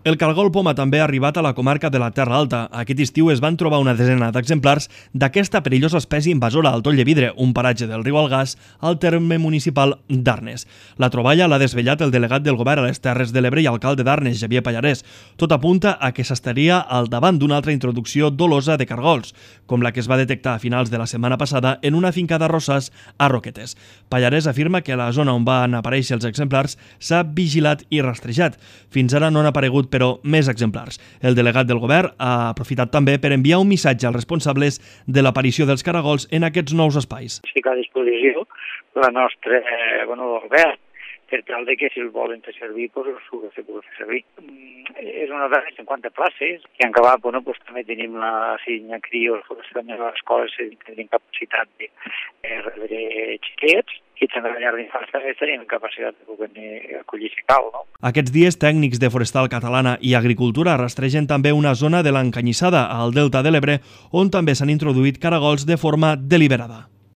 El cargol poma també ha arribat a la comarca de la Terra Alta. Aquest estiu es van trobar una desena d'exemplars d'aquesta perillosa espècie invasora al Tollevidre, un paratge del riu Algars, al terme municipal d'Arnes. La troballa l'ha desvetllat el delegat del govern a les Terres de l'Ebre i alcalde d'Arnes, Xavier Pallarès. Tot apunta a que s'estaria al davant d'una altra introducció dolosa de cargols, com la que es va detectar a finals de la setmana passada en una finca d'arrossars a Roquetes. Pallarès afirma que a la zona on van aparèixer els exemplars s'ha vigilat i rastrejat. Fins ara no han aparegut, però més exemplars. El delegat del govern ha aprofitat també per enviar un missatge als responsables de l'aparició dels caragols en aquests nous espais. Ficar a disposició la nostra govern per tal de que si el volen fer servir, se pugui fer servir. És una de les 50 places i en acabat també tenim la Sinya Crios, també a l'escola tenim capacitat de rebre xiquets i també la llar d'infants tenim capacitat de poder acollir si cal. Aquests dies, tècnics de Forestal Catalana i Agricultura rastregen també una zona de l'Encanyissada, al Delta de l'Ebre, on també s'han introduït caragols de forma deliberada.